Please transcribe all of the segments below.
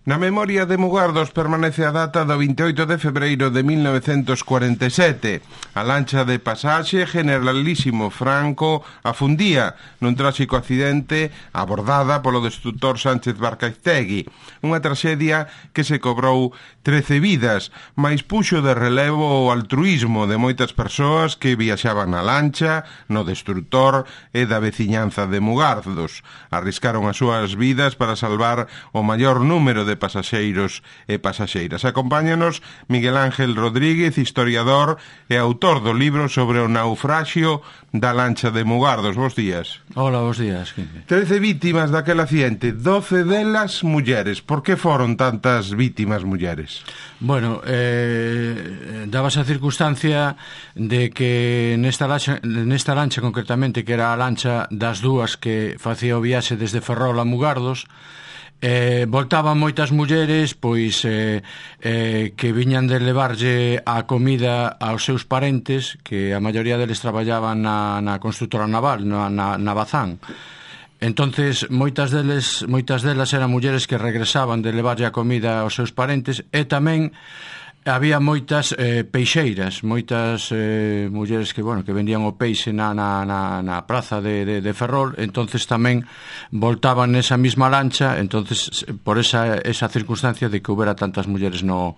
Na memoria de Mugardos permanece a data do 28 de febreiro de 1947. A lancha de pasaxe Generalísimo Franco afundía nun tráxico accidente abordada polo destrutor Sánchez Barcaiztegui. Unha traxedia que se cobrou 13 vidas, mais puxo de relevo o altruísmo de moitas persoas que viaxaban na lancha, no destrutor e da veciñanza de Mugardos. Arriscaron as súas vidas para salvar o maior número de pasaxeiros e pasaxeiras. Acompáñanos Miguel Ángel Rodríguez, historiador e autor do libro sobre o naufraxio da lancha de Mugardos. Bos días. Hola, bos días. 13 vítimas daquel accidente, 12 delas mulleres. Por que foron tantas vítimas mulleres? Bueno, dabas a circunstancia de que nesta lancha concretamente, que era a lancha das dúas que facía o viaxe desde Ferrol a Mugardos, voltaban moitas mulleres pois que viñan de levarlle a comida aos seus parentes, que a maioría deles traballaban na constructora naval, na Bazán. Entonces moitas delas eran mulleres que regresaban de levarlle a comida aos seus parentes, e tamén había moitas peixeiras, moitas mulleres que vendían o peixe na praza de Ferrol. Entonces tamén voltaban nesa mesma lancha, entonces por esa circunstancia de que houbera tantas mulleres no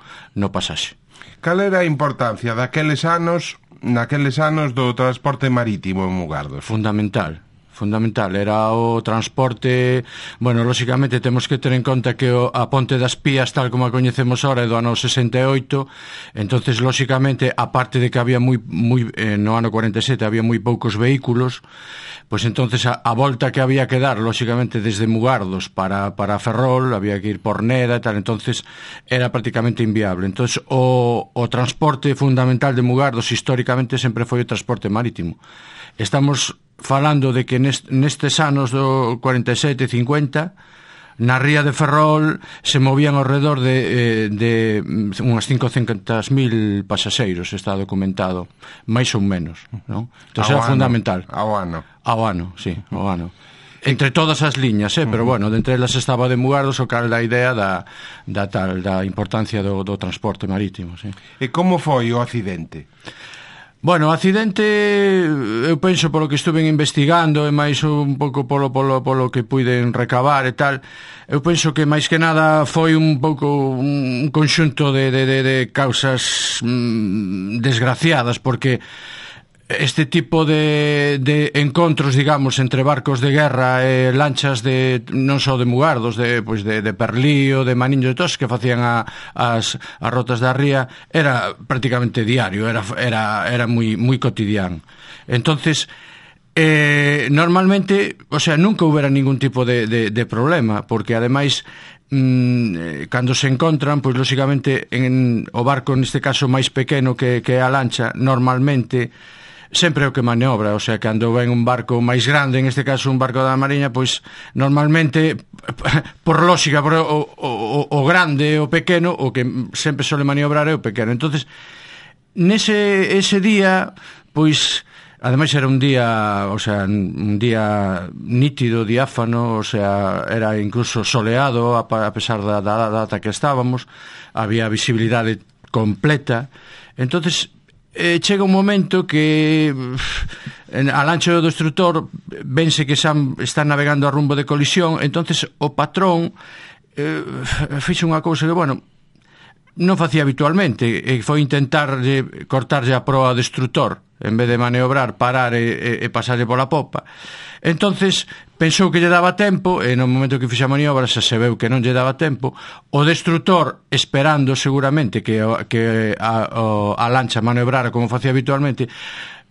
pasaxe. Cal era a importancia naqueles anos do transporte marítimo en Mugardos? Fundamental, era o transporte. Bueno, lóxicamente temos que ter en conta que a Ponte das Pías, tal como a coñecemos ahora, é do ano 68. Entonces, lóxicamente, aparte de que había no ano 47 había moi poucos vehículos, pois entonces a volta que había que dar, lóxicamente, desde Mugardos para Ferrol, había que ir por Neda e tal, entonces era prácticamente inviable. Entonces o transporte fundamental de Mugardos históricamente sempre foi o transporte marítimo. Estamos falando de que nestes anos do 47 e 50 na ría de Ferrol se movían ao redor de unhas 500.000 pasaxeiros, está documentado, máis ou menos, non? Entón era fundamental. Ao ano, sí, ao ano. Entre todas as liñas, pero bueno, dentre elas estaba de Mugardos, o cal da idea da importancia do transporte marítimo, sí. E como foi o accidente? Bueno, o accidente, eu penso, polo que estuve investigando e máis un pouco polo que puiden recabar e tal, eu penso que máis que nada foi un pouco un conxunto de causas desgraciadas, porque este tipo de encontros, digamos, entre barcos de guerra e lanchas non só de Mugardos, de Perlío, de Maniño, de todos que facían as rotas da ría, era prácticamente diario, era moi cotidiano. Entonces, normalmente, o sea, nunca houbera ningún tipo de problema, porque ademais cando se encontran, pois lóxicamente o barco, neste caso máis pequeno que a lancha, normalmente sempre é o que maniobra, o sea, cando ven un barco máis grande, en este caso un barco da Mariña, pois normalmente, por lógica, o grande e o pequeno, o que sempre sole maniobrar é o pequeno. Entonces, ese día, pois, ademais era un día nítido, diáfano, o sea, era incluso soleado, a pesar da data que estábamos, había visibilidade completa. Entonces, chega un momento que a lancha do destrutor vense que está navegando a rumbo de colisión. Entonces o patrón fixo unha cousa que, bueno, non facía habitualmente, e foi intentar cortarlle a proa ao destrutor, en vez de maniobrar, parar e pasarlle pola popa. Entonces pensou que lle daba tempo, e no momento que fixe a maniobra se veu que non lle daba tempo. O destrutor, esperando seguramente que a lancha maniobrara como facía habitualmente,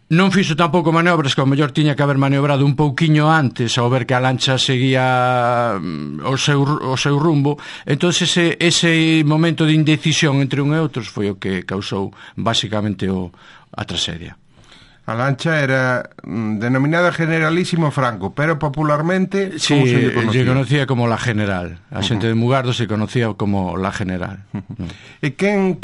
non fixo tampouco maniobras, que ao mellor tiña que haber maniobrado un pouquiño antes, ao ver que a lancha seguía o seu rumbo. Entón ese momento de indecisión entre un e outros foi o que causou basicamente a tragedia. A lancha era denominada Generalísimo Franco, pero popularmente, sí, como se lle conocía? Se conocía como la General. A xente de Mugardos se conocía como la General. E quen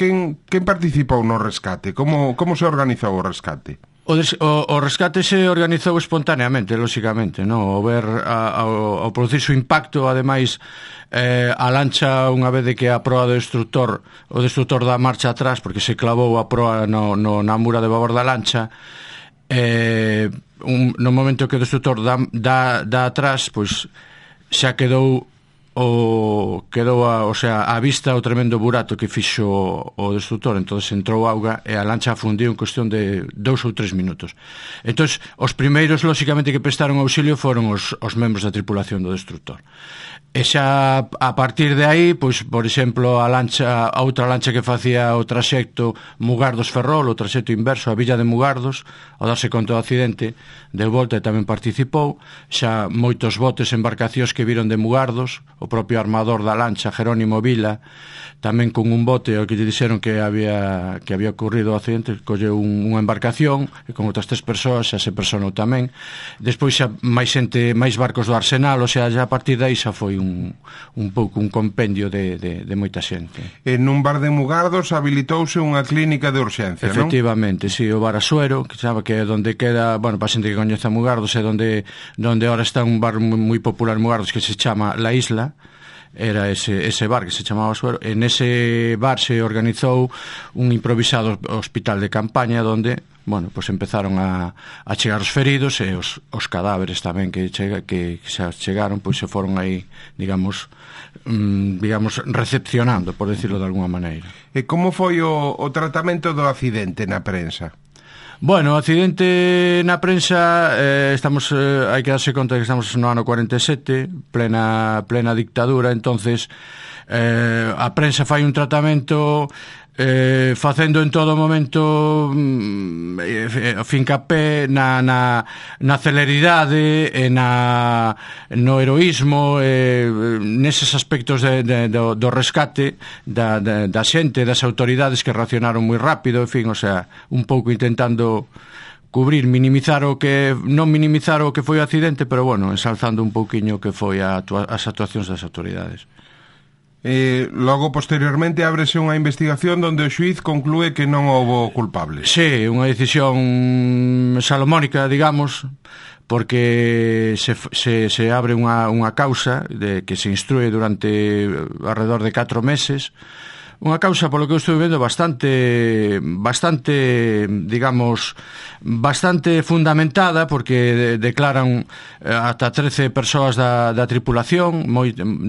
participou no rescate? Como se organizou o rescate? O rescate se organizou espontaneamente, lóxicamente, no? Ao producir o impacto, ademais, a lancha, unha vez de que a proa do destructor, o destructor dá marcha atrás, porque se clavou a proa na mura de babor da lancha, no momento que o destructor dá atrás, pois xa quedou a vista o tremendo burato que fixo o destructor. Entonces entrou auga e a lancha afundiu en cuestión de 2 ou 3 minutos. Entonces os primeiros, lóxicamente, que prestaron auxilio foron os membros da tripulación do destructor. E xa a partir de aí, pois, por exemplo, a outra lancha que facía o traxecto Mugardos-Ferrol, o traxecto inverso, a Villa de Mugardos, ao darse conta do accidente, deu volta e tamén participou. Xa moitos botes e embarcacións que viron de Mugardos, o propio armador da lancha, Jerónimo Vila, tamén con un bote ao que lle dixeron que había ocurrido o accidente, colleu unha embarcación e con outras 3 persoas xa se personou tamén. Despois xa máis barcos do Arsenal, o sea, xa a partir de aí xa foi un pouco un compendio de moita xente. En un bar de Mugardos habilitouse unha clínica de urxencia, non? Efectivamente, si, o bar Asuero, que sabe que é onde queda, bueno, para xente que coñece a Mugardos, é onde ahora está un bar moi popular en Mugardos que se chama La Isla. Era ese bar que se chamaba Asuero. En ese bar se organizou un improvisado hospital de campaña onde, bueno, pues empezaron a chegar os feridos e os cadáveres tamén que xa chegaron, pois se foron aí, digamos, recepcionando, por decirlo de alguna maneira. E como foi o tratamento do accidente na prensa? Bueno, o accidente na prensa, hai que darse conta que estamos no ano 47, plena dictadura. Entonces a prensa fai un tratamento facendo en todo momento fincapé na celeridade e no heroísmo, neses aspectos do rescate da xente, das autoridades que reaccionaron moi rápido, en fin, o sea, un pouco intentando cubrir, non minimizar o que foi o accidente, pero bueno, ensalzando un pouquiño que foi as actuacións das autoridades. Logo, posteriormente, ábrese unha investigación onde o xuíz conclúe que non houbo culpables. Sí, unha decisión salomónica, digamos, porque se abre unha causa que se instrue durante alrededor de 4 meses. Unha causa, polo que eu estou vendo, bastante, digamos, bastante fundamentada, porque declaran ata 13 persoas da tripulación,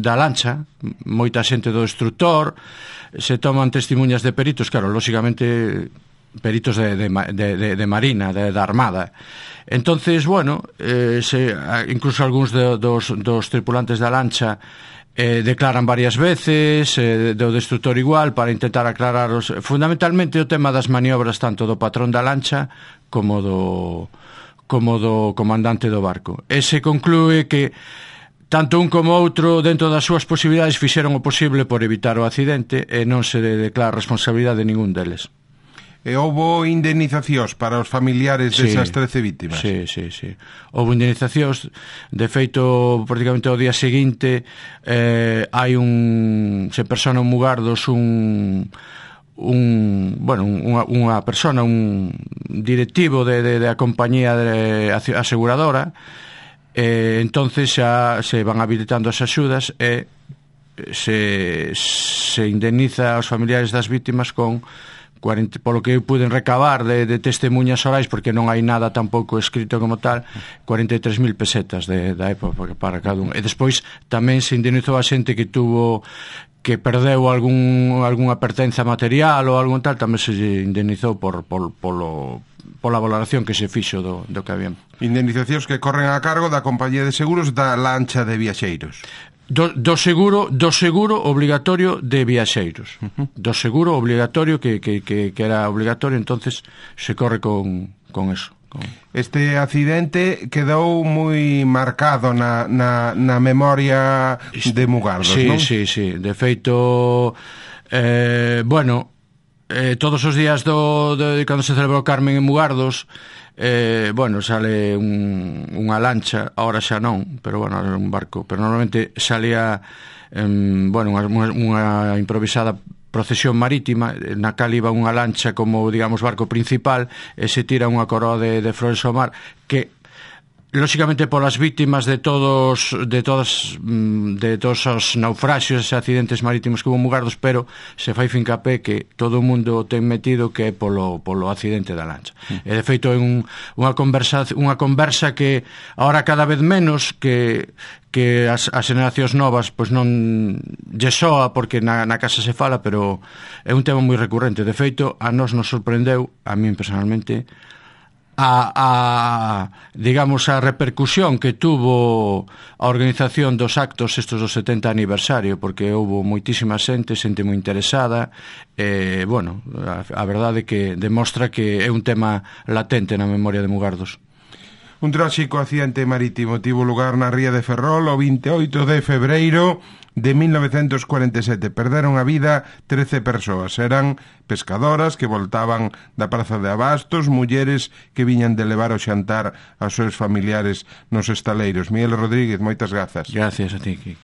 da lancha, moita xente do destructor, se toman testemunhas de peritos, claro, lóxicamente peritos de Marina, da Armada. Entonces, bueno, incluso algúns dos tripulantes da lancha declaran varias veces, do destructor igual, para intentar aclarar fundamentalmente o tema das maniobras tanto do patrón da lancha como do comandante do barco. E se conclúe que tanto un como outro, dentro das súas posibilidades, fixeron o posible por evitar o accidente e non se declara responsabilidade de ningún deles. E houbo indemnizacións para os familiares desas 13 vítimas? Sí. Houbo indemnizacións. De feito, prácticamente ao día seguinte hai se persona en Mugardos unha persona, un directivo da compañía aseguradora, entonces xa se van habilitando as axudas e se indemniza aos familiares das vítimas con polo que puden recabar de testemunhas orais, porque non hai nada tampouco escrito como tal, 43.000 pesetas da época para cada un. E despois tamén se indemnizou a xente que perdeu algunha pertenza material ou algún tal, tamén se indemnizou pola valoración que se fixo do que había. Indemnizacións que corren a cargo da compañía de seguros da lancha de viaxeiros. Do seguro obligatorio de viaxeiros. Do seguro obligatorio que era obligatorio, entonces se corre con eso. Este accidente quedou moi marcado na memoria de Mugardos, non? Sí. De feito, todos os días cando se celebrou Carmen en Mugardos, sale unha lancha, ahora xa non, pero bueno, era un barco, pero normalmente salía unha improvisada procesión marítima na cal iba unha lancha como, digamos, barco principal e se tira unha coroa de flores ao mar que lóxicamente polas vítimas de todos os naufraxios e accidentes marítimos que hubo en Mugardos, pero se fai fincapé que todo o mundo ten metido que é polo accidente da lancha. E de feito é unha conversa que ahora cada vez menos que as generacións novas pois non lle soa porque na casa se fala, pero é un tema moi recurrente. De feito, a nos sorprendeu, a min personalmente, digamos, a repercusión que tuvo a organización dos actos estos do 70 aniversario, porque houve moitísima xente moi interesada, bueno, a verdade que demostra que é un tema latente na memoria de Mugardos. Un tráxico accidente marítimo tivo lugar na ría de Ferrol o 28 de febreiro de 1947. Perderon a vida 13 persoas. Eran pescadoras que voltaban da praza de abastos, mulleres que viñan de levar o xantar aos seus familiares nos estaleiros. Miguel Rodríguez, moitas grazas. Gracias a ti, Kiki.